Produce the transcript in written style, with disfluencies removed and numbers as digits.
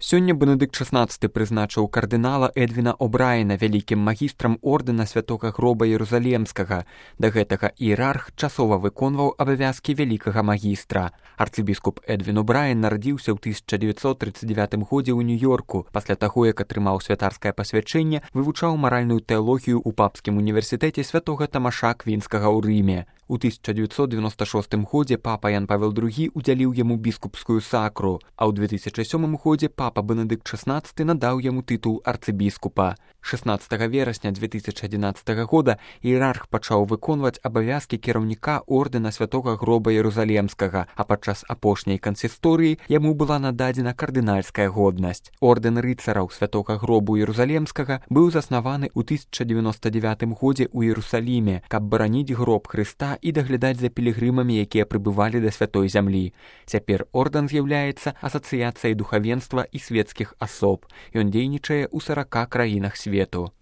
Сёння Бенедыкт XVI прызначыў кардынала Эдвіна О'Брайена вялікім магістрам ордэна святога гроба Єрусалемскага. Да гэтага іерарх часова выконваў абавязкі вялікага магістра. Арцыбіскуп Эдвін О'Брайен нарадзіўся ў 1939 годзе ў Нью-Йорку. Пасля таго, як атрымаў святарскае пасвячэнне, вывучаў маральную тэалогію ў папскім універсітэце святога Тамаша Квінскага ў Рыме. У 1996 годзе папа Ян Павел II удзяліў яму біскупскую сакру, а ў 2007 годзе папа Бенедыкт XVI надаў яму тытул арцыбіскупа. 16 верасня 2011 года іерарх пачаў выконваць абавязкі кіраўніка ордэна святога гроба Єрусалемскага, а падчас апошняй кансісторыі яму была нададзена кардынальская годнасць. Ордэн рыцараў святога гробу Єрусалемскага быў заснаваны ў 1099 годзе ў Єрусаліме, каб бараніць гроб Хрыста і даглядаць за пілігрымамі, якія прыбывалі да святой зямлі. Цяпер ордэн з'яўляецца асацыяцыяй духавенства і светскіх асоб. Ён дзейнічае ў 40 краінах свету.